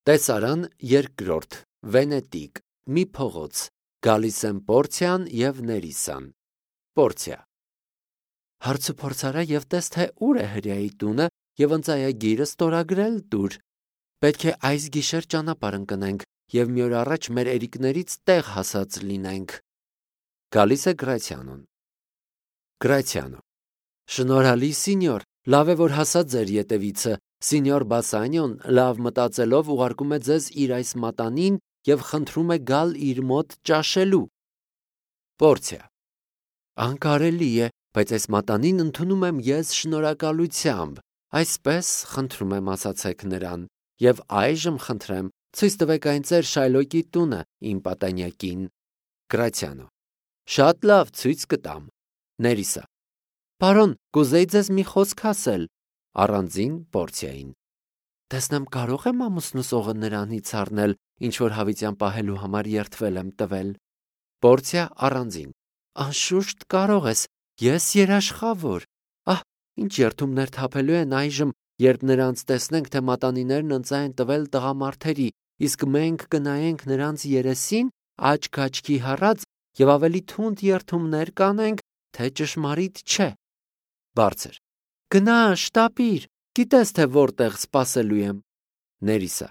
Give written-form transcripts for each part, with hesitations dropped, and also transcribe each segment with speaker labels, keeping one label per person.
Speaker 1: Տեսարան երկրորդ, Վենետիկ, մի փողոց, գալիս են Պորցիան և Ներիսան։ Պորցիա. Հարցուփորձարա և տես, թե ուր է հրեայի տունը և ընծայագիրը ստորագրել տուր։ Պետք է այս գիշեր ճանապարհ ընկնենք և մի օր առաջ մեր երիկներից տեղ հասած լինենք։ Գալիս է Գրացիանոն։ Գրացիանո. Շնորհալի սինյոր, լավ է, որ հասա ձեր ետևիցը։ Սինյոր Բասանիոն լավ մտածելով ուղարկում է ձեզ իր այս մատանին և խնդրում է գալ իր մոտ ճաշելու։ Պորցիա. Անկարելի է, բայց այս մատանին ընդունում եմ ես շնորհակալությամբ, այսպես խնդրում եմ ասացեք նրան, և այժմ խնդրեմ ցույց տվեք այն ձեր Շայլոկի տունը իմ պատանյակին։ Գրացիանո. Շատ լավ, ցույց կտամ։ Ներիսա. Պարոն, կուզեի ձեզ մի խոսք ասել։ Առանձին Պորցիային. Տեսնեմ կարող եմ ամուսնուս օղը նրանից առնել, ինչ որ հավիտյան պահելու համար երդվել եմ տվել։ Պորցիա առանձին. Անշուշտ կարող ես, ես երաշխավոր։ Ահ, ինչ երդումներ թափելու են այժմ, երբ նրանց տեսնենք, թե մատանիներն ընծա են տվել տղամարդերի, իսկ մենք կնայենք նրանց երեսին, աչք աչքի հառած և ավելի թունդ երդումներ կանենք, թե ճշմարիտ չէ։ Բարձր. Գնա, շտապիր, գիտես, թե որտեղ սպասելու եմ։ Ներիսա.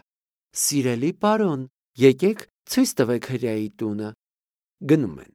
Speaker 1: Սիրելի պարոն, եկեք ցույց տվեք հրեայի տունը։ Գնում են։